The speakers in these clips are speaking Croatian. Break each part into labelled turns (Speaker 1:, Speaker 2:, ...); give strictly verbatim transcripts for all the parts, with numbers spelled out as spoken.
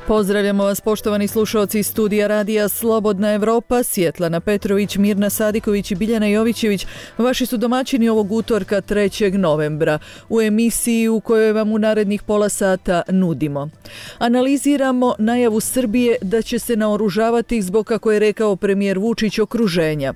Speaker 1: Pozdravljamo vas poštovani slušalci iz studija radija Slobodna Evropa, Svjetlana Petrović, Mirna Sadiković i Biljana Jovićević. Vaši su domaćini ovog utorka trećeg novembra u emisiji u kojoj vam u narednih pola sata nudimo. Analiziramo najavu Srbije da će se naoružavati zbog, kako je rekao premijer Vučić, okruženja.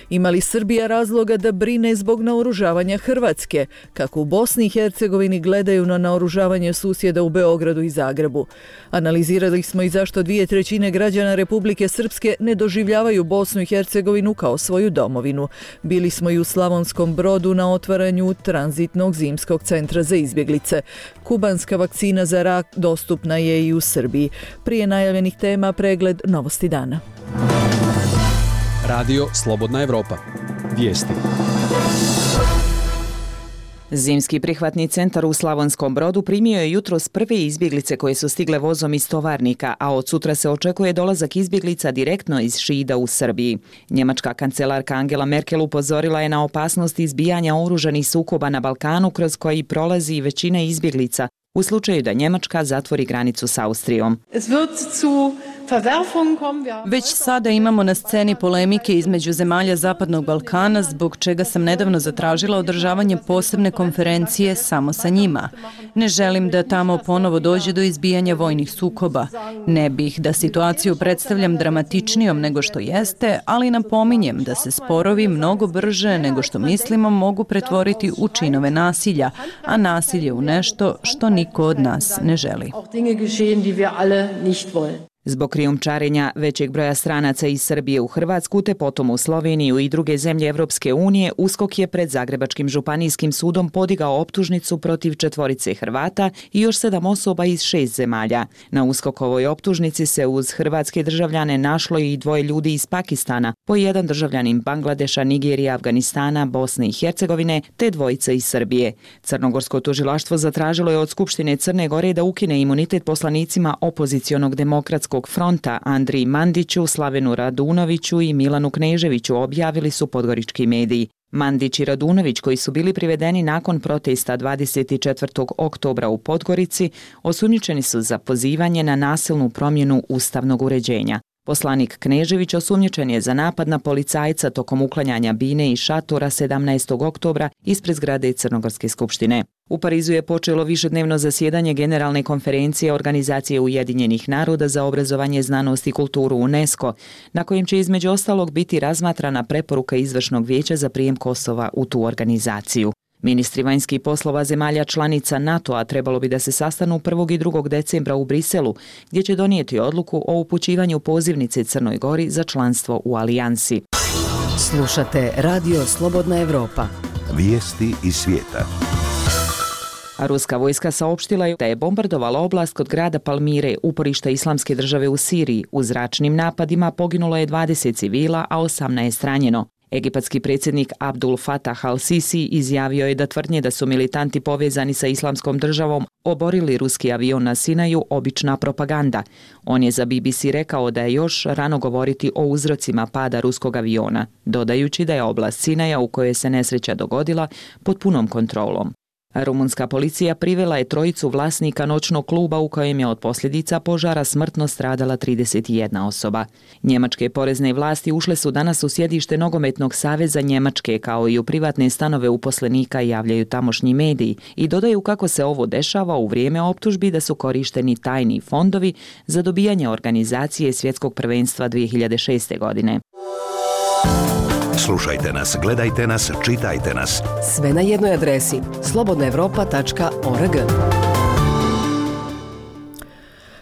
Speaker 1: Ima li Srbija razloga da brine zbog naoružavanja Hrvatske? Kako u Bosni i Hercegovini gledaju na naoružavanje susjeda u Beogradu i Zagrebu? Analiziramo Analizirali smo i zašto dvije trećine građana Republike Srpske ne doživljavaju Bosnu i Hercegovinu kao svoju domovinu. Bili smo i u Slavonskom Brodu na otvaranju tranzitnog zimskog centra za izbjeglice. Kubanska vakcina za rak dostupna je i u Srbiji. Prije najavljenih tema pregled novosti dana.
Speaker 2: Radio Slobodna Evropa. Vijesti.
Speaker 3: Zimski prihvatni centar u Slavonskom Brodu primio je jutros prve izbjeglice koje su stigle vozom iz Tovarnika, a od sutra se očekuje dolazak izbjeglica direktno iz Šida u Srbiji. Njemačka kancelarka Angela Merkel upozorila je na opasnost izbijanja oružanih sukoba na Balkanu kroz koji prolazi većina izbjeglica u slučaju da Njemačka zatvori granicu s Austrijom.
Speaker 4: Već sada imamo na sceni polemike između zemalja Zapadnog Balkana, zbog čega sam nedavno zatražila održavanje posebne konferencije samo sa njima. Ne želim da tamo ponovo dođe do izbijanja vojnih sukoba. Ne bih da situaciju predstavljam dramatičnijom nego što jeste, ali napominjem da se sporovi mnogo brže nego što mislimo mogu pretvoriti u činove nasilja, a nasilje u nešto što niko od nas ne želi.
Speaker 3: Zbog krijumčarenja većeg broja stranaca iz Srbije u Hrvatsku te potom u Sloveniju i druge zemlje Evropske unije, USKOK je pred Zagrebačkim županijskim sudom podigao optužnicu protiv četvorice Hrvata i još sedam osoba iz šest zemalja. Na USKOKovoj optužnici se uz hrvatske državljane našlo i dvoje ljudi iz Pakistana, po jedan državljanin Bangladeša, Nigerije, Afganistana, Bosne i Hercegovine te dvojica iz Srbije. Crnogorsko tužilaštvo zatražilo je od Skupštine Crne Gore da ukine imunitet poslanicima opozicionog demokratskog fronta Andriji Mandiću, Slavenu Radunoviću i Milanu Kneževiću, objavili su podgorički mediji. Mandić i Radunović, koji su bili privedeni nakon protesta dvadeset četvrtog oktobra u Podgorici, osumnjičeni su za pozivanje na nasilnu promjenu ustavnog uređenja. Poslanik Knežević osumnjičen je za napad na policajca tokom uklanjanja bine i šatora sedamnaestog oktobra ispred zgrade Crnogorske skupštine. U Parizu je počelo višednevno zasjedanje Generalne konferencije Organizacije Ujedinjenih naroda za obrazovanje, znanost i kulturu UNESCO, na kojem će između ostalog biti razmatrana preporuka Izvršnog vijeća za prijem Kosova u tu organizaciju. Ministri vanjskih poslova zemalja članica NATO-a trebalo bi da se sastanu prvog i drugog decembra u Briselu, gdje će donijeti odluku o upućivanju pozivnice Crnoj Gori za članstvo u alijansi.
Speaker 5: Slušate Radio Slobodna Evropa.
Speaker 6: Vijesti iz svijeta.
Speaker 3: Ruska vojska saopštila je da je bombardovala oblast kod grada Palmire, uporišta Islamske države u Siriji. U zračnim napadima poginulo je dvadeset civila, a osamnaest ranjeno. Egipatski predsjednik Abdul Fatah al-Sisi izjavio je da tvrdnje da su militanti povezani sa Islamskom državom oborili ruski avion na Sinaju obična propaganda. On je za B B C rekao da je još rano govoriti o uzrocima pada ruskog aviona, dodajući da je oblast Sinaja u kojoj se nesreća dogodila pod punom kontrolom. Rumunska policija privela je trojicu vlasnika noćnog kluba u kojem je od posljedica požara smrtno stradala trideset jedna osoba. Njemačke porezne vlasti ušle su danas u sjedište Nogometnog saveza Njemačke, kao i u privatne stanove uposlenika, javljaju tamošnji mediji, i dodaju kako se ovo dešava u vrijeme optužbi da su korišteni tajni fondovi za dobijanje organizacije svjetskog prvenstva dvije hiljade šeste. godine.
Speaker 6: Slušajte nas, gledajte nas, čitajte nas.
Speaker 5: Sve na jednoj adresi slobodna evropa tačka org.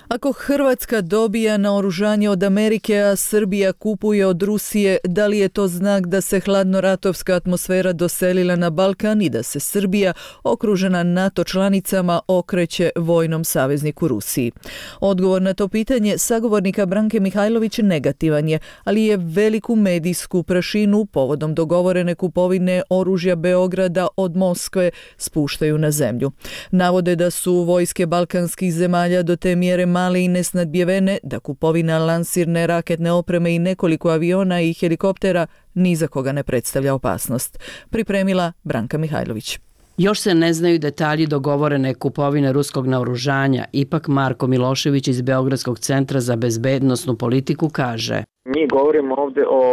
Speaker 1: Ako Hrvatska dobija naoružanje od Amerike, a Srbija kupuje od Rusije, da li je to znak da se hladnoratovska atmosfera doselila na Balkan i da se Srbija, okružena NATO članicama, okreće vojnom savezniku Rusiji? Odgovor na to pitanje sagovornika Branke Mihajlović negativan je, ali je veliku medijsku prašinu povodom dogovorene kupovine oružja Beograda od Moskve spuštaju na zemlju. Navode da su vojske balkanskih zemalja do te mjere male i nesnadbjevene da kupovina lansirne raketne opreme i nekoliko aviona i helikoptera ni za koga ne predstavlja opasnost. Pripremila Branka Mihajlović.
Speaker 7: Još se ne znaju detalji dogovorene kupovine ruskog naoružanja, ipak Marko Milošević iz Beogradskog centra za bezbednosnu politiku kaže:
Speaker 8: Mi govorimo ovde o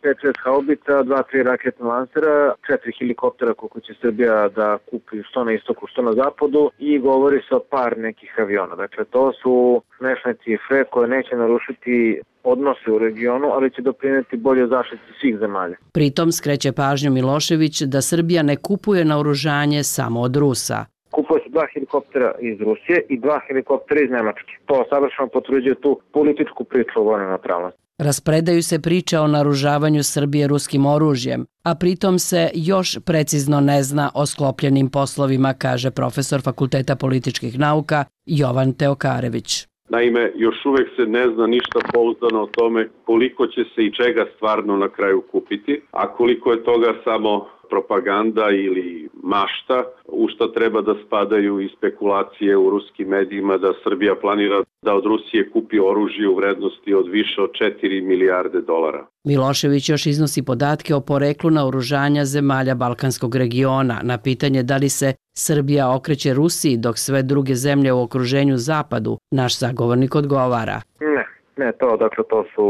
Speaker 8: pet šest haubica, dva tri raketna lansera, četiri helikoptera koliko će Srbija da kupi što na istoku, što na zapadu i govori se o par nekih aviona. Dakle, to su smešne cifre koje neće narušiti odnose u regionu, ali će doprineti bolje zaštiti svih zemalja.
Speaker 7: Pritom skreće pažnju Milošević da Srbija ne kupuje naoružanje samo od Rusa.
Speaker 8: Kupuje se dva helikoptera iz Rusije i dva helikoptera iz Nemačke. To savršeno potvrđuje tu političku priču o vojnoj neutralnosti.
Speaker 7: Raspredaju se priče o naoružavanju Srbije ruskim oružjem, a pritom se još precizno ne zna o sklopljenim poslovima, kaže profesor Fakulteta političkih nauka Jovan Teokarević.
Speaker 9: Naime, još uvek se ne zna ništa pouzdano o tome koliko će se i čega stvarno na kraju kupiti, a koliko je toga samo propaganda ili mašta, u što treba da spadaju i spekulacije u ruskim medijima da Srbija planira da od Rusije kupi oružje u vrednosti od više od četiri milijarde dolara.
Speaker 7: Milošević još iznosi podatke o poreklu naoružanja zemalja Balkanskog regiona. Na pitanje da li se Srbija okreće Rusiji dok sve druge zemlje u okruženju zapadu, naš sagovornik odgovara:
Speaker 8: Ne, ne to, dakle to su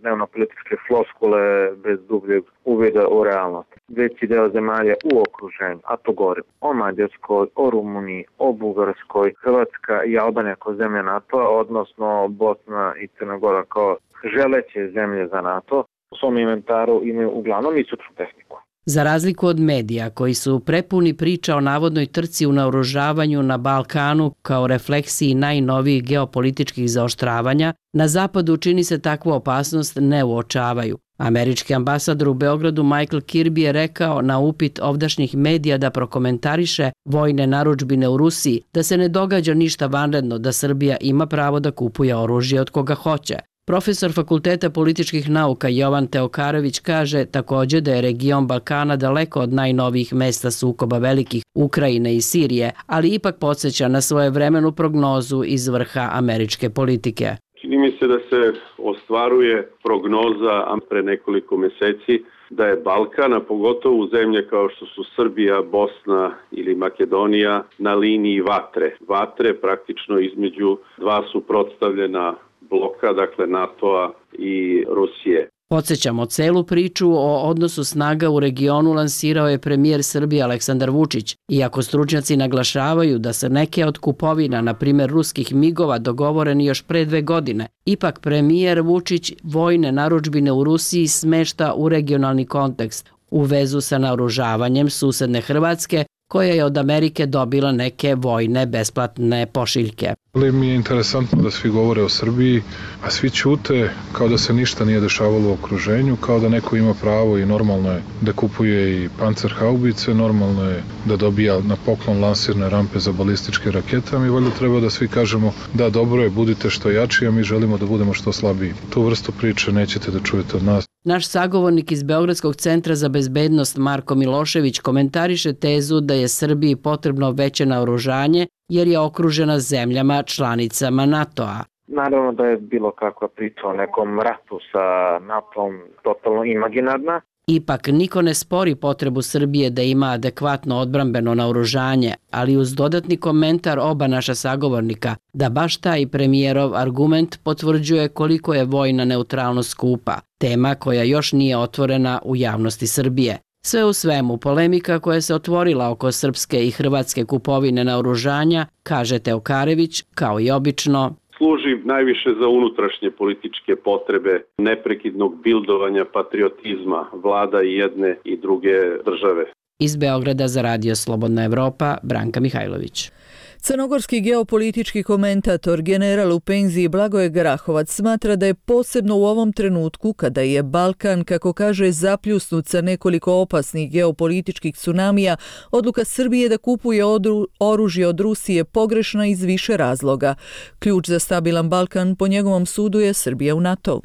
Speaker 8: dnevno-političke floskule bez dubljeg uvida u realnost. Veći deo zemalja u okruženju, a to govorim o Mađarskoj, o Rumuniji, o Bugarskoj, Hrvatska i Albanija kao zemlja NATO-a, odnosno Bosna i Crna Gora kao želeće zemlje za NATO, u svom inventaru imaju uglavnom istočnu tehniku.
Speaker 7: Za razliku od medija koji su prepuni priča o navodnoj trci u naoružavanju na Balkanu kao refleksiji najnovijih geopolitičkih zaoštravanja, na zapadu čini se takvu opasnost ne uočavaju. Američki ambasador u Beogradu Michael Kirby je rekao na upit ovdašnjih medija da prokomentariše vojne narudžbine u Rusiji da se ne događa ništa vanredno, da Srbija ima pravo da kupuje oružje od koga hoće. Profesor Fakulteta političkih nauka Jovan Teokarević kaže također da je region Balkana daleko od najnovijih mesta sukoba velikih Ukrajine i Sirije, ali ipak podsjeća na svojevremenu prognozu iz vrha američke politike.
Speaker 9: Čini mi se da se ostvaruje prognoza pre nekoliko meseci da je Balkan, a pogotovo zemlje kao što su Srbija, Bosna ili Makedonija, na liniji vatre. Vatre praktično između dva suprotstavljena bloka, dakle NATO-a i Rusije.
Speaker 7: Podsjećamo, celu priču o odnosu snaga u regionu lansirao je premijer Srbije Aleksandar Vučić, iako stručnjaci naglašavaju da se neke od kupovina, na primjer ruskih migova, dogovoreni još pre dve godine. Ipak premijer Vučić vojne narudžbine u Rusiji smešta u regionalni kontekst, u vezu sa naoružavanjem susedne Hrvatske, koja je od Amerike dobila neke vojne besplatne pošiljke.
Speaker 10: Mi je interesantno da svi govore o Srbiji, a svi ćute kao da se ništa nije dešavalo u okruženju, kao da neko ima pravo i normalno je da kupuje i pancerhaubice, normalno je da dobija na poklon lansirne rampe za balističke rakete, a mi valjda treba da svi kažemo da dobro je, budite što jači, a mi želimo da budemo što slabiji. Tu vrstu priče nećete da čujete od nas.
Speaker 7: Naš sagovornik iz Beogradskog centra za bezbednost Marko Milošević komentariše tezu da je Srbiji potrebno veće naoružanje jer je okružena zemljama članicama NATO-a.
Speaker 8: Naravno da je bilo kakva priča o nekom ratu sa NATO-om totalno imaginarna.
Speaker 7: Ipak niko ne spori potrebu Srbije da ima adekvatno odbrambeno naoružanje, ali uz dodatni komentar oba naša sagovornika da baš taj premijerov argument potvrđuje koliko je vojna neutralnost skupa, tema koja još nije otvorena u javnosti Srbije. Sve u svemu, polemika koja se otvorila oko srpske i hrvatske kupovine naoružanja, kaže Teokarević, kao i obično,
Speaker 9: služi najviše za unutrašnje političke potrebe neprekidnog bildovanja patriotizma vlada i jedne i druge države.
Speaker 7: Iz Beograda za Radio Slobodna Evropa, Branka Mihajlović.
Speaker 1: Crnogorski geopolitički komentator, general u penziji Blagoje Grahovac, smatra da je posebno u ovom trenutku, kada je Balkan, kako kaže, zapljusnut sa nekoliko opasnih geopolitičkih tsunamija, odluka Srbije da kupuje odru, oružje od Rusije pogrešna iz više razloga. Ključ za stabilan Balkan, po njegovom sudu, je Srbija u NATO.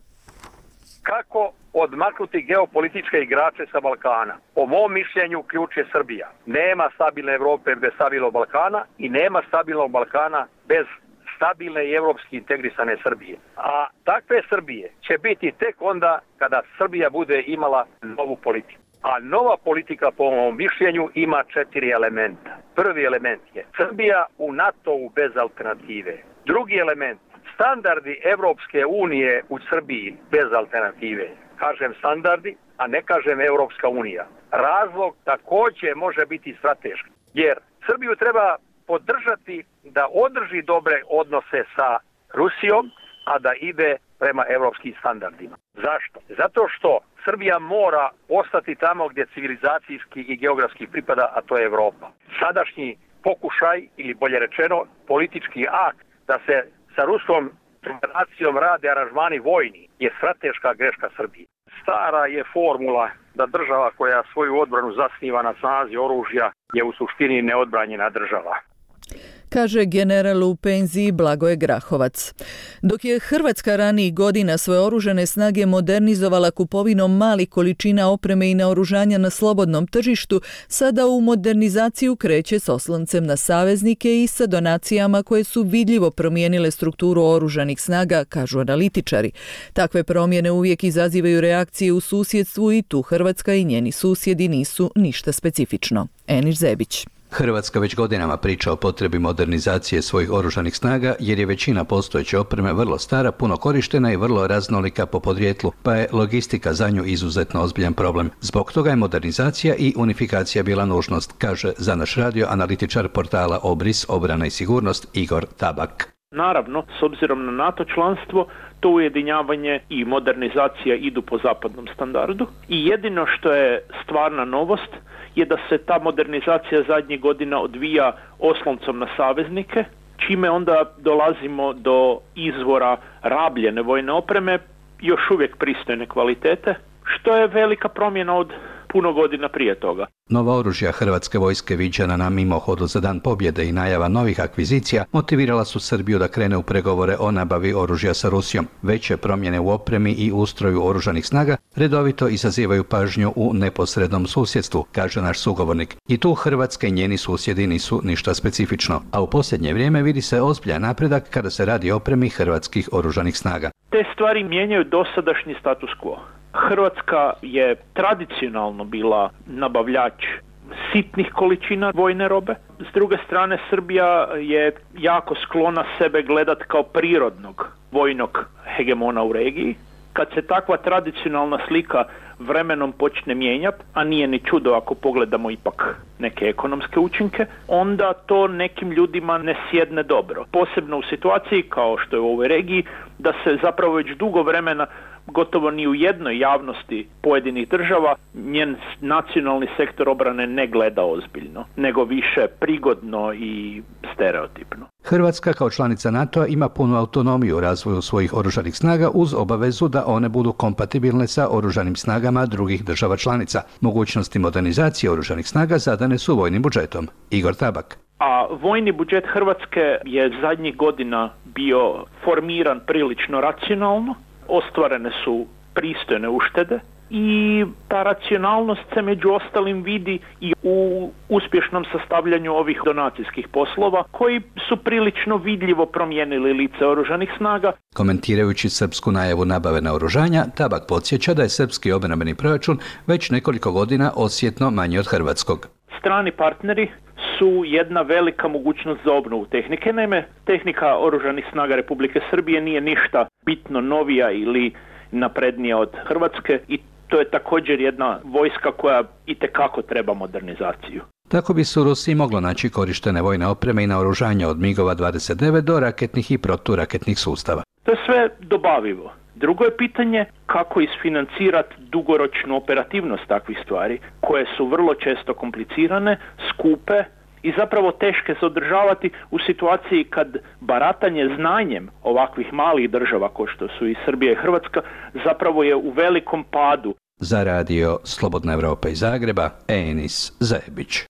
Speaker 11: Kako odmaknuti geopolitičke igrače sa Balkana? Po mom mišljenju ključ je Srbija. Nema stabilne Evrope bez stabilnog Balkana i nema stabilnog Balkana bez stabilne i evropski integrisane Srbije. A takve Srbije će biti tek onda kada Srbija bude imala novu politiku. A nova politika po mom mišljenju ima četiri elementa. Prvi element je Srbija u NATO-u bez alternative. Drugi element, standardi Evropske unije u Srbiji bez alternative. Kažem standardi, a ne kažem Evropska unija. Razlog također može biti strateški, jer Srbiju treba podržati da održi dobre odnose sa Rusijom, a da ide prema evropskim standardima. Zašto? Zato što Srbija mora ostati tamo gdje civilizacijski i geografski pripada, a to je Evropa. Sadašnji pokušaj, ili bolje rečeno, politički akt da se sa Ruskom federacijom rade aranžmani vojni je strateška greška Srbije. Stara je formula da država koja svoju odbranu zasniva na snazi oružja je u suštini neodbranjena država,
Speaker 1: kaže general u penziji Blagoje Grahovac. Dok je Hrvatska ranijih godina svoje oružane snage modernizovala kupovinom malih količina opreme i naoružanja na slobodnom tržištu, sada u modernizaciju kreće s osloncem na saveznike i sa donacijama koje su vidljivo promijenile strukturu oružanih snaga, kažu analitičari. Takve promjene uvijek izazivaju reakcije u susjedstvu i tu Hrvatska i njeni susjedi nisu ništa specifično. Eniš Zebić.
Speaker 12: Hrvatska već godinama priča o potrebi modernizacije svojih oružanih snaga jer je većina postojeće opreme vrlo stara, puno korištena i vrlo raznolika po podrijetlu, pa je logistika za nju izuzetno ozbiljan problem. Zbog toga je modernizacija i unifikacija bila nužnost, kaže za naš radio analitičar portala Obris, obrana i sigurnost Igor Tabak.
Speaker 13: Naravno, s obzirom na NATO članstvo, to ujedinjavanje i modernizacija idu po zapadnom standardu i jedino što je stvarna novost je da se ta modernizacija zadnjih godina odvija osloncom na saveznike, čime onda dolazimo do izvora rabljene vojne opreme, još uvijek pristojne kvalitete, što je velika promjena od puno godina prije toga.
Speaker 12: Nova oružja Hrvatske vojske viđena na mimohodu za Dan pobjede i najava novih akvizicija motivirala su Srbiju da krene u pregovore o nabavi oružja sa Rusijom. Veće promjene u opremi i ustroju oružanih snaga redovito izazivaju pažnju u neposrednom susjedstvu, kaže naš sugovornik. I tu Hrvatska i njeni susjedi nisu ništa specifično, a u posljednje vrijeme vidi se ozbiljan napredak kada se radi o opremi hrvatskih oružanih snaga.
Speaker 13: Te stvari mijenjaju dosadašnji status quo. Hrvatska je tradicionalno bila nabavljač sitnih količina vojne robe. S druge strane, Srbija je jako sklona sebe gledat kao prirodnog vojnog hegemona u regiji. Kad se takva tradicionalna slika vremenom počne mijenjati, a nije ni čudo ako pogledamo ipak neke ekonomske učinke, onda to nekim ljudima ne sjedne dobro. Posebno u situaciji kao što je u ovoj regiji, da se zapravo već dugo vremena gotovo ni u jednoj javnosti pojedinih država njen nacionalni sektor obrane ne gleda ozbiljno, nego više prigodno i stereotipno.
Speaker 12: Hrvatska kao članica NATO-a ima punu autonomiju u razvoju svojih oružanih snaga uz obavezu da one budu kompatibilne sa oružanim snagama drugih država članica. Mogućnosti modernizacije oružanih snaga zadane su vojnim budžetom. Igor Tabak.
Speaker 13: A vojni budžet Hrvatske je zadnjih godina bio formiran prilično racionalno, ostvarene su pristojne uštede i ta racionalnost se među ostalim vidi i u uspješnom sastavljanju ovih donacijskih poslova koji su prilično vidljivo promijenili lice oružanih snaga.
Speaker 12: Komentirajući srpsku najavu nabave naoružanja, Tabak podsjeća da je srpski obrambeni proračun već nekoliko godina osjetno manji od hrvatskog.
Speaker 13: Strani partneri su jedna velika mogućnost za obnovu tehnike. Naime, tehnika oružanih snaga Republike Srbije nije ništa bitno novija ili naprednija od Hrvatske i to je također jedna vojska koja itekako treba modernizaciju.
Speaker 12: Tako bi se u Rusiji moglo naći korištene vojne opreme i naoružanja od migova dvadeset devet do raketnih i proturaketnih sustava.
Speaker 13: To je sve dobavivo. Drugo je pitanje kako isfinancirati dugoročnu operativnost takvih stvari, koje su vrlo često komplicirane, skupe i zapravo teške se održavati u situaciji kad baratanje znanjem ovakvih malih država kao što su i Srbija i Hrvatska zapravo je u velikom padu.
Speaker 12: Za radio Slobodna Evropa iz Zagreba, Enis Zebić.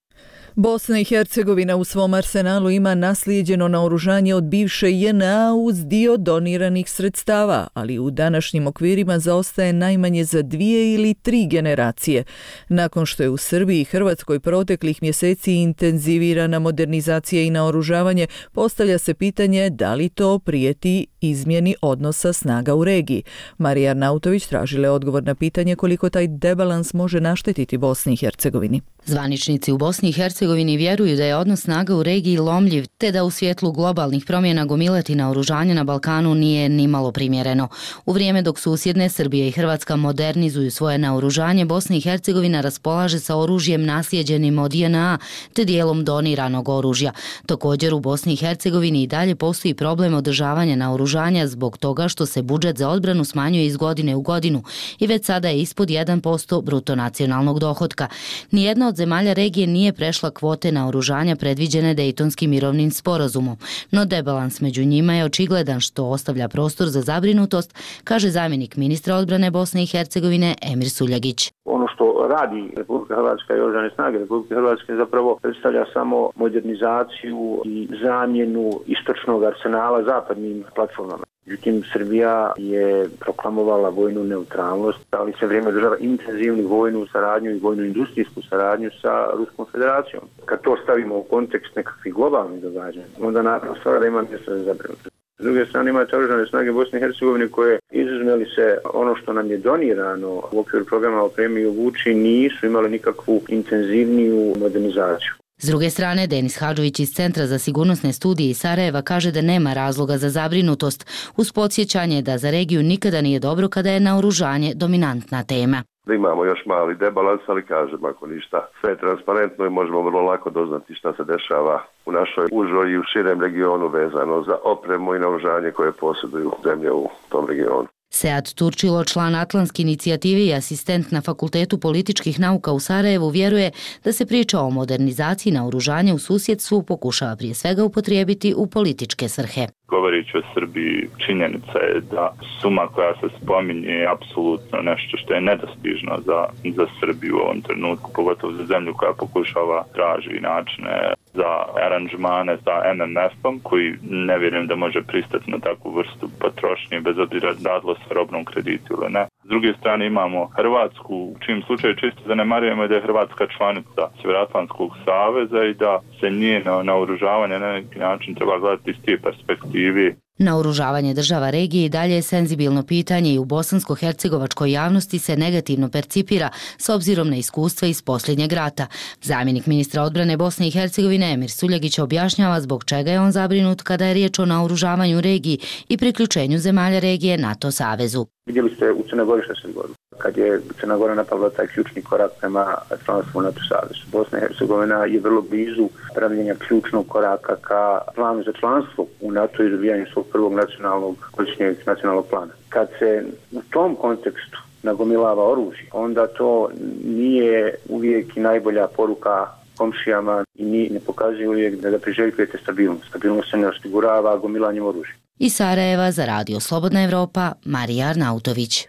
Speaker 1: Bosna i Hercegovina u svom arsenalu ima naslijeđeno naoružanje od bivše J N A uz dio doniranih sredstava, ali u današnjim okvirima zaostaje najmanje za dvije ili tri generacije. Nakon što je u Srbiji i Hrvatskoj proteklih mjeseci intenzivirana modernizacija i naoružavanje, postavlja se pitanje da li to prijeti izmjeni odnosa snaga u regiji. Marija Arnautović tražila je odgovor na pitanje koliko taj debalans može naštetiti Bosni i Hercegovini.
Speaker 14: Zvaničnici u Bosni i Hercegovini vjeruju da je odnos snaga u regiji lomljiv, te da u svjetlu globalnih promjena gomilati naoružanje na Balkanu nije ni malo primjereno. U vrijeme dok susjedne Srbija i Hrvatska modernizuju svoje naoružanje, Bosna i Hercegovina raspolaže sa oružjem naslijeđenim od J N A, te dijelom doniranog oružja. Također u Bosni i Hercegovini i dalje postoji problem održavanja naoružanja zbog toga što se budžet za odbranu smanjuje iz godine u godinu i već sada je ispod jedan posto bruto nacionalnog dohotka. Nijedna od zemalja regije nije prešla kvote naoružanja predviđene Dejtonskim mirovnim sporazumom, no debalans među njima je očigledan što ostavlja prostor za zabrinutost, kaže zamjenik ministra odbrane Bosne i Hercegovine Emir Suljagić.
Speaker 15: Ono što radi Republika Hrvatska i oružane snage Republike Hrvatske zapravo predstavlja samo modernizaciju i zamjenu istočnog arsenala zapadnim platformama. Međutim, Srbija je proklamovala vojnu neutralnost, ali se vrijeme održava intenzivnu vojnu saradnju i vojnu industrijsku saradnju sa Ruskom federacijom. Kad to stavimo u kontekst nekakvih globalnih događanja, onda naravno stvara da ima mjesto za zabrinutost. S druge strane imate oružane snage Bosne i Hercegovine koje, izuzme li se ono što nam je donirano u okviru programa Opremi i obuči, nisu imale nikakvu intenzivniju modernizaciju.
Speaker 14: S druge strane, Denis Hadžović iz Centra za sigurnosne studije iz Sarajeva kaže da nema razloga za zabrinutost, uz podsjećanje da za regiju nikada nije dobro kada je naoružanje dominantna tema.
Speaker 16: Da imamo još mali debalans, ali kažem, ako ništa, sve je transparentno i možemo vrlo lako doznati šta se dešava u našoj užoj i u širem regionu vezano za opremu i naoružanje koje posjeduju zemlje u tom regionu.
Speaker 14: Sead Turčilo, član Atlantske inicijative i asistent na Fakultetu političkih nauka u Sarajevu, vjeruje da se priča o modernizaciji naoružanja u susjedstvu pokušava prije svega upotrijebiti u političke svrhe.
Speaker 17: Govoreći o Srbiji, činjenica je da suma koja se spominje je apsolutno nešto što je nedostižno za, za Srbiju u ovom trenutku, pogotovo za zemlju koja pokušava traži načine za aranžmane sa M M F-om, koji ne vjerujem da može pristati na takvu vrstu potrošnje, bez obzira radilo se robnom kreditu ili ne. S druge strane imamo Hrvatsku, u čim slučaju čisto zanemarujemo da je Hrvatska članica Sjevernoatlantskog saveza i da se njeno naoružavanje na neki način treba gledati iz te perspektive.
Speaker 14: Naoružavanje država regije i dalje je senzibilno pitanje i u bosansko-hercegovačkoj javnosti se negativno percipira s obzirom na iskustva iz posljednjeg rata. Zamjenik ministra odbrane Bosne i Hercegovine Emir Suljagić objašnjava zbog čega je on zabrinut kada je riječ o naoružavanju regiji i priključenju zemalja regije NATO savezu.
Speaker 15: Vidjeli ste u Crnoj Gori što se dogodilo. Kad je Crna Gora napravila taj ključni korak prema članstvu u NATO savezu. Bosna i Hercegovina je vrlo blizu pravljenja ključnog koraka ka planu za članstvo u NATO i dobijanju svog prvog nacionalnog godišnjeg nacionalnog plana. Kad se u tom kontekstu nagomilava oružje, onda to nije uvijek i najbolja poruka komšijama i ni, ne pokazuje uvijek da, da priželjkujete stabilnost. Stabilnost se ne osigurava gomilanjem oružja.
Speaker 14: Iz Sarajeva za Radio Slobodna Evropa, Marija Arnautović.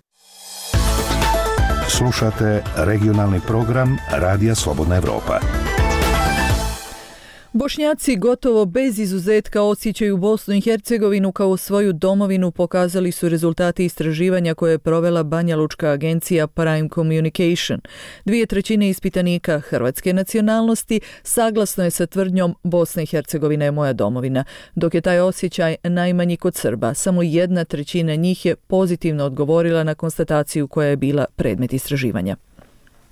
Speaker 6: Slušate regionalni program Radija Slobodna Evropa.
Speaker 1: Bošnjaci gotovo bez izuzetka osjećaju Bosnu i Hercegovinu kao svoju domovinu, pokazali su rezultati istraživanja koje je provela banjalučka agencija Prime Communication. Dvije trećine ispitanika hrvatske nacionalnosti saglasno je sa tvrdnjom Bosna i Hercegovina je moja domovina, dok je taj osjećaj najmanji kod Srba. Samo jedna trećina njih je pozitivno odgovorila na konstataciju koja je bila predmet istraživanja.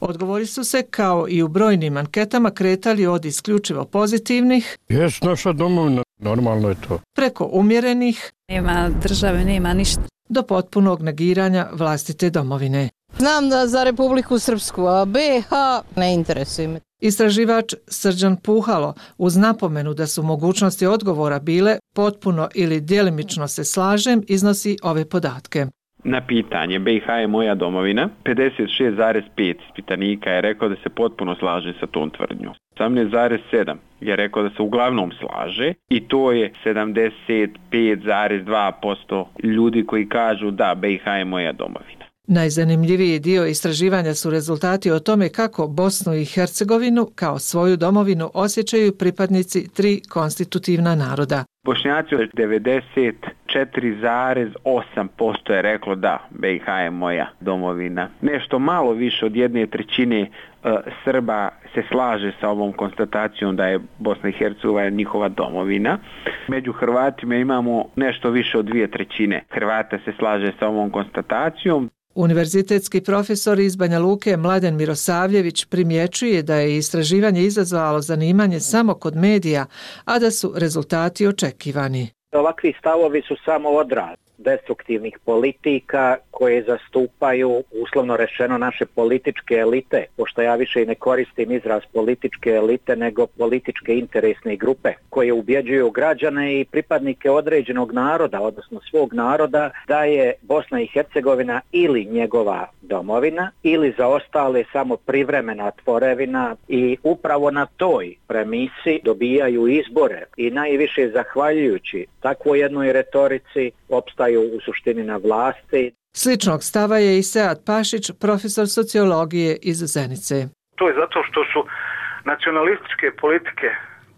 Speaker 18: Odgovori su se, kao i u brojnim anketama, kretali od isključivo pozitivnih,
Speaker 19: jes naša domovina, normalno je to,
Speaker 18: preko umjerenih,
Speaker 20: nema države, nema ništa,
Speaker 18: do potpunog negiranja vlastite domovine.
Speaker 21: Znam da za Republiku Srpsku, a B i H ne interesuje me.
Speaker 18: Istraživač Srđan Puhalo, uz napomenu da su mogućnosti odgovora bile potpuno ili djelimično se slažem, iznosi ove podatke.
Speaker 22: Na pitanje B i H je moja domovina, pedeset šest zarez pet ispitanika je rekao da se potpuno slaže sa tom tvrdnjom. osamnaest zarez sedam je rekao da se uglavnom slaže i to je sedamdeset pet zarez dva posto ljudi koji kažu da B i H je moja domovina.
Speaker 18: Najzanimljiviji dio istraživanja su rezultati o tome kako Bosnu i Hercegovinu kao svoju domovinu osjećaju pripadnici tri konstitutivna naroda.
Speaker 22: Bošnjaci od devedeset četiri zarez osam posto je reklo da, B i H je moja domovina. Nešto malo više od jedne trećine uh, Srba se slaže sa ovom konstatacijom da je Bosna i Hercegovina njihova domovina. Među Hrvatima imamo nešto više od dvije trećine Hrvata se slaže sa ovom konstatacijom.
Speaker 18: Univerzitetski profesor iz Banja Luke Mladen Mirosavljević primjećuje da je istraživanje izazvalo zanimanje samo kod medija, a da su rezultati očekivani.
Speaker 2: Ovakvi stavovi su samo odraz destruktivnih politika koje zastupaju, uslovno rečeno, naše političke elite, pošto ja više i ne koristim izraz političke elite, nego političke interesne grupe koje ubjeđuju građane i pripadnike određenog naroda, odnosno svog naroda, da je Bosna i Hercegovina ili njegova domovina ili za ostale samo privremena tvorevina i upravo na toj premisi dobijaju izbore i najviše zahvaljujući takvoj jednoj retorici opstaju u suštini na vlasti.
Speaker 18: Sličnog stava je i Sead Pašić, profesor sociologije iz Zenice.
Speaker 4: To je zato što su nacionalističke politike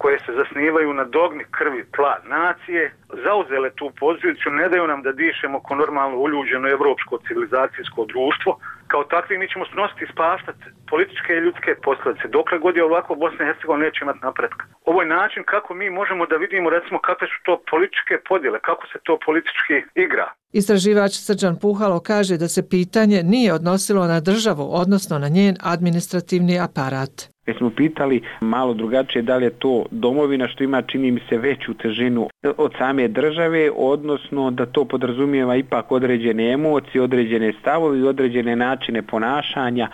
Speaker 4: koje se zasnivaju na dogmi krvi, tla, nacije, zauzele tu poziciju, ne daju nam da dišemo ko normalno uljuđeno evropsko civilizacijsko društvo. Kao takvi mi ćemo snositi i spaštati političke i ljudske posljedice. Dokle god je ovako, Bosna i Hercegovina neće imati napretka. Ovo je način kako mi možemo da vidimo, recimo, kakve su to političke podjele, kako se to politički igra.
Speaker 18: Istraživač Srđan Puhalo kaže da se pitanje nije odnosilo na državu, odnosno na njen administrativni aparat.
Speaker 22: Već smo pitali malo drugačije da li je to domovina što ima, čini mi se, veću težinu od same države, odnosno da to podrazumijeva ipak određene emocije, određene stavovi i određene načine ponašanja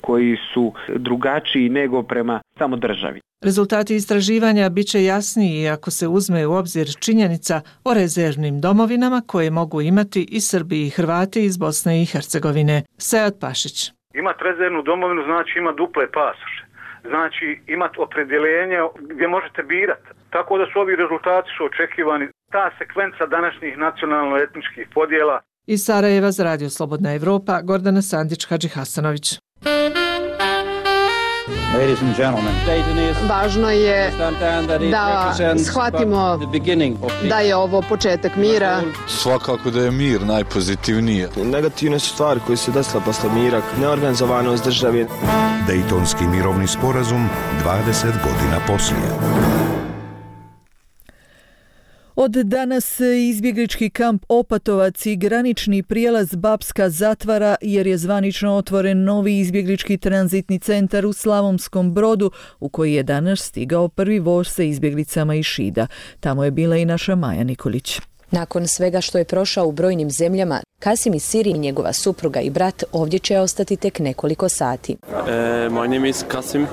Speaker 22: koji su drugačiji nego prema samo državi.
Speaker 18: Rezultati istraživanja bit će jasniji ako se uzme u obzir činjenica o rezervnim domovinama koje mogu imati i Srbi i Hrvati iz Bosne i Hercegovine. Sead Pašić.
Speaker 4: Imati rezervnu domovinu znači ima duple pasoše. Znači imati opredjeljenje gdje možete birati. Tako da su ovi rezultati su očekivani. Ta sekvenca današnjih nacionalno-etničkih podjela.
Speaker 18: Iz Sarajeva za Radio Slobodna Evropa, Gordana Sandić-Hadžihasanović.
Speaker 23: Važno je da shvatimo da je ovo početak mira.
Speaker 24: Svakako da je mir najpozitivnije.
Speaker 25: Negativne su stvari koje se desile posle mira, neorganizovanost države.
Speaker 6: Dejtonski mirovni sporazum dvadeset godina poslije.
Speaker 1: Od danas izbjeglički kamp Opatovac i granični prijelaz Bapska zatvara jer je zvanično otvoren novi izbjeglički tranzitni centar u Slavonskom Brodu u koji je danas stigao prvi voz sa izbjeglicama iz Šida. Tamo je bila i naša Maja Nikolić.
Speaker 26: Nakon svega što je prošao u brojnim zemljama, Kasim iz Sirije, njegova supruga i brat ovdje će ostati tek nekoliko sati.
Speaker 27: Uh, my name is Kasim uh,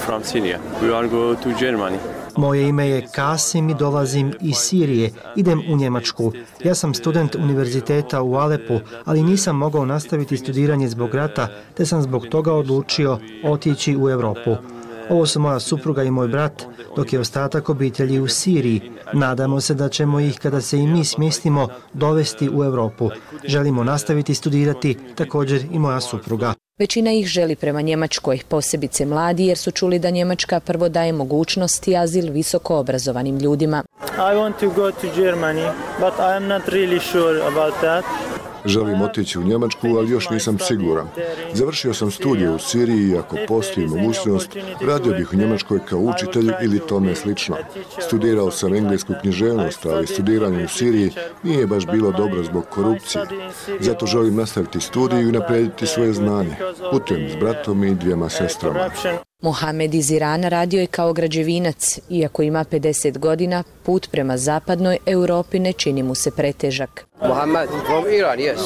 Speaker 27: from Syria. We are go to Germany.
Speaker 28: Moje ime je Kasim i dolazim iz Sirije. Idem u Njemačku. Ja sam student univerziteta u Alepu, ali nisam mogao nastaviti studiranje zbog rata, te sam zbog toga odlučio otići u Europu. Ovo su moja supruga i moj brat, dok je ostatak obitelji u Siriji. Nadamo se da ćemo ih, kada se i mi smjestimo, dovesti u Europu. Želimo nastaviti studirati, također i moja supruga.
Speaker 26: Većina ih želi prema Njemačkoj, posebice mladi, jer su čuli da Njemačka prvo daje mogućnost i azil visoko obrazovanim ljudima.
Speaker 29: I want to go to Germany, but I am not really sure about that.
Speaker 30: Želim otići u Njemačku, ali još nisam siguran. Završio sam studije u Siriji i ako postoji mogućnost, radio bih u Njemačkoj kao učitelj ili tome slično. Studirao sam englesku književnost, ali studiranje u Siriji nije baš bilo dobro zbog korupcije. Zato želim nastaviti studiju i naprijediti svoje znanje. Putujem s bratom i dvijema sestrama.
Speaker 26: Mohamed iz Irana radio je kao građevinac. Iako ima pedeset godina, put prema zapadnoj Europi ne čini mu se pretežak.
Speaker 31: Mohamed from Iran, yes.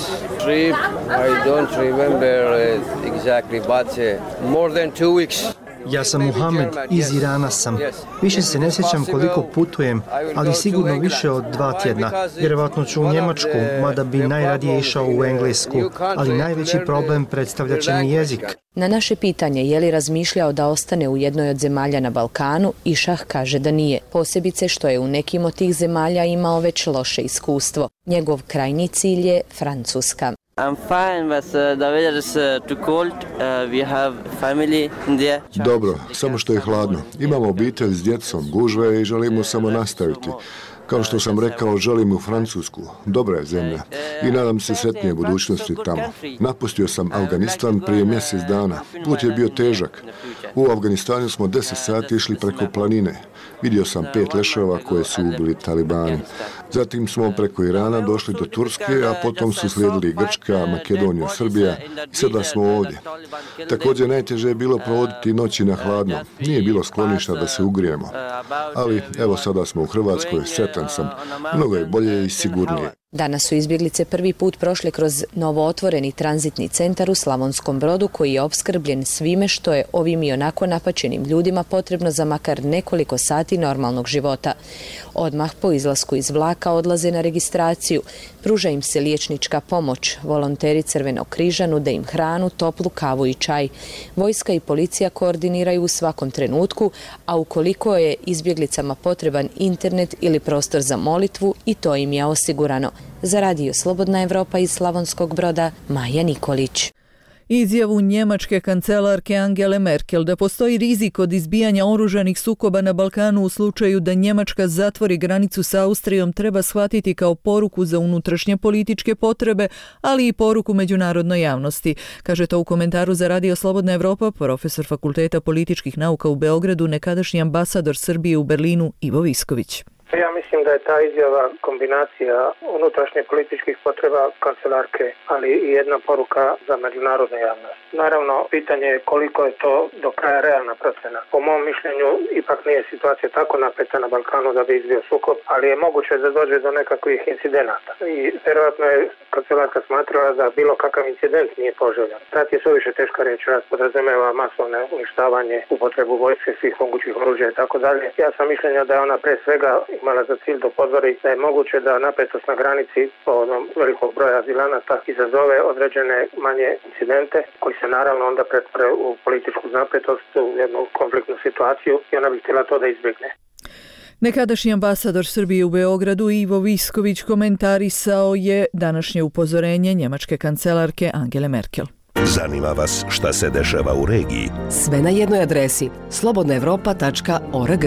Speaker 31: Trip, I don't remember exactly, but more than two weeks.
Speaker 28: Ja sam Mohamed, iz Irana sam. Više se ne sjećam koliko putujem, ali sigurno više od dva tjedna. Vjerovatno ću u Njemačku, mada bi najradije išao u Englesku, ali najveći problem predstavlja će mi jezik.
Speaker 26: Na naše pitanje je li razmišljao da ostane u jednoj od zemalja na Balkanu, Išah kaže da nije, posebice što je u nekim od tih zemalja imao već loše iskustvo. Njegov krajnji cilj je Francuska.
Speaker 31: I'm fine, but uh, the weather is uh, too cold. Uh, we have family in there.
Speaker 30: Dobro, samo što je hladno. Imamo obitelj s djecom, gužve i želimo samo nastaviti. Kao što sam rekao, želim u Francusku. Dobra je zemlja i nadam se sretnije budućnosti tamo. Napustio sam Afganistan prije mjesec dana. Put je bio težak. U Afganistanu smo deset sati išli preko planine. Vidio sam pet leševa koje su ubili talibani. Zatim smo preko Irana došli do Turske, a potom su slijedili Grčka, Makedonija, Srbija i sada smo ovdje. Također najteže je bilo provoditi noći na hladno. Nije bilo skloništa da se ugrijemo. Ali evo sada smo u Hrvatskoj, sretan sam. Mnogo je bolje i sigurnije.
Speaker 26: Danas su izbjeglice prvi put prošle kroz novootvoreni tranzitni centar u Slavonskom Brodu koji je opskrbljen svime što je ovim i onako napačenim ljudima potrebno za makar nekoliko sati normalnog života. Odmah po izlasku iz vlaka odlaze na registraciju, pruža im se liječnička pomoć, volonteri Crvenog križa nude im hranu, toplu kavu i čaj. Vojska i policija koordiniraju u svakom trenutku, a ukoliko je izbjeglicama potreban internet ili prostor za molitvu, i to im je osigurano. Za radio Slobodna Evropa iz Slavonskog Broda, Maja Nikolić.
Speaker 1: Izjavu njemačke kancelarke Angele Merkel da postoji rizik od izbijanja oružanih sukoba na Balkanu u slučaju da Njemačka zatvori granicu s Austrijom treba shvatiti kao poruku za unutrašnje političke potrebe, ali i poruku međunarodnoj javnosti. Kaže to u komentaru za radio Slobodna Evropa profesor Fakulteta političkih nauka u Beogradu, nekadašnji ambasador Srbije u Berlinu Ivo Visković.
Speaker 3: Ja mislim da je ta izjava kombinacija unutrašnje političkih potreba kancelarke, ali i jedna poruka za međunarodnu javnost. Naravno, pitanje je koliko je to do kraja realna procena. Po mom mišljenju, ipak nije situacija tako napeta na Balkanu da bi izbio sukob, ali je moguće da dođe do nekakvih incidenata. I vjerojatno je kancelarka smatrala da bilo kakav incident nije poželjan. Rat je suviše teška riječ, rat podrazumijeva masovne uništavanje, upotrebu vojske, svih mogućih oružja i tako dalje. Ja sam mišljenja da je ona pre svega imala za cilj da upozori da je moguće da napetost na granici po onom velikog broja azilanata izazove određene manje incidente koji se naravno onda pretvore u političku napetost, u jednu konfliktnu situaciju i ona bi htjela to da izbjegne.
Speaker 1: Nekadašnji ambasador Srbije u Beogradu Ivo Visković komentarisao je današnje upozorenje njemačke kancelarke Angele Merkel.
Speaker 6: Zanima vas šta se dešava u regiji?
Speaker 5: Sve na jednoj adresi slobodna evropa tačka org.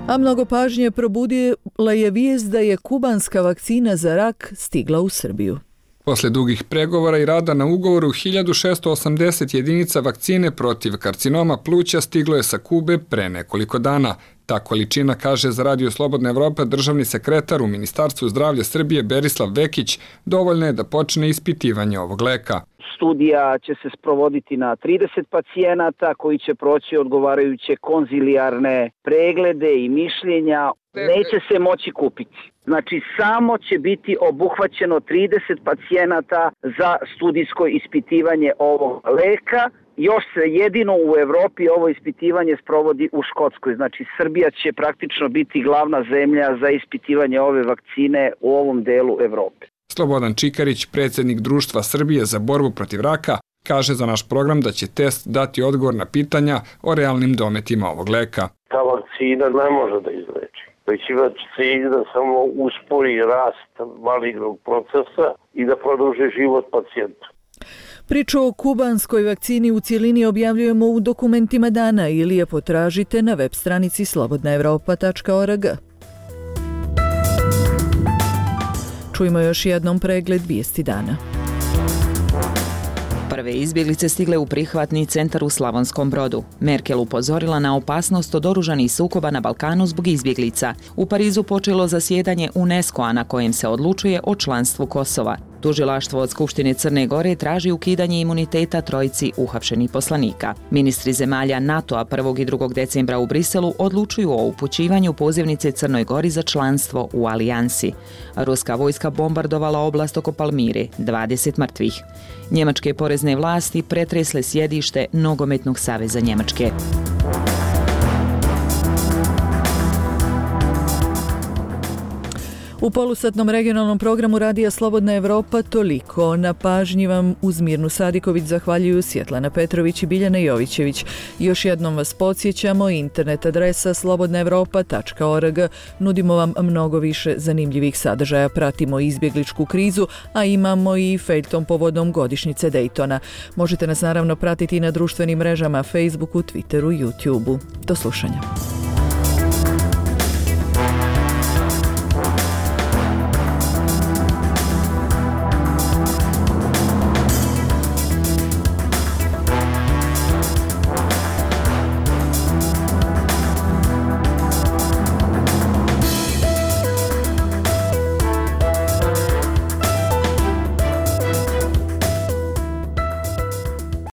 Speaker 1: A mnogo pažnje probudila je vijest da je kubanska vakcina za rak stigla u Srbiju.
Speaker 7: Posle dugih pregovora i rada na ugovoru, hiljadu šesto osamdeset jedinica vakcine protiv karcinoma pluća stiglo je sa Kube pre nekoliko dana. Ta količina, kaže za radio Slobodna Evropa državni sekretar u Ministarstvu zdravlja Srbije Berislav Vekić, dovoljno je da počne ispitivanje ovog leka.
Speaker 8: Studija će se sprovoditi na trideset pacijenata koji će proći odgovarajuće konzilijarne preglede i mišljenja. Neće se moći kupiti. Znači, samo će biti obuhvaćeno trideset pacijenata za studijsko ispitivanje ovog leka. Još se jedino u Evropi ovo ispitivanje sprovodi u Škotskoj. Znači, Srbija će praktično biti glavna zemlja za ispitivanje ove vakcine u ovom delu Evrope.
Speaker 7: Slobodan Čikarić, predsjednik Društva Srbije za borbu protiv raka, kaže za naš program da će test dati odgovor na pitanja o realnim dometima ovog leka.
Speaker 9: Ta vakcina ne može da izleči, već ima cilj da samo uspori rast malignog procesa i da produži život pacijentu.
Speaker 1: Priču o kubanskoj vakcini u cjelini objavljujemo u dokumentima dana ili je potražite na web stranici slobodna evropa tačka org. Čujmo još jednom pregled vijesti dana.
Speaker 10: Prve izbjeglice stigle u prihvatni centar u Slavonskom Brodu. Merkel upozorila na opasnost od oružanih sukoba na Balkanu zbog izbjeglica. U Parizu počelo zasjedanje UNESCO-a na kojem se odlučuje o članstvu Kosova. Tužilaštvo od Skupštine Crne Gore traži ukidanje imuniteta trojici uhapšenih poslanika. Ministri zemalja NATO-a prvog i drugog decembra u Briselu odlučuju o upućivanju pozivnice Crnoj Gori za članstvo u alijansi. Ruska vojska bombardovala oblast oko Palmire, dvadeset mrtvih. Njemačke porezne vlasti pretresle sjedište Nogometnog saveza Njemačke.
Speaker 1: U polusatnom regionalnom programu Radija Slobodna Evropa toliko. Na pažnji vam uz Mirnu Sadiković zahvaljuju Svjetlana Petrović i Biljana Jovićević. Još jednom vas podsjećamo, internet adresa slobodna evropa tačka org. Nudimo vam mnogo više zanimljivih sadržaja. Pratimo izbjegličku krizu, a imamo i feljton povodom godišnjice Daytona. Možete nas naravno pratiti i na društvenim mrežama Facebooku, Twitteru, YouTubeu. Do slušanja.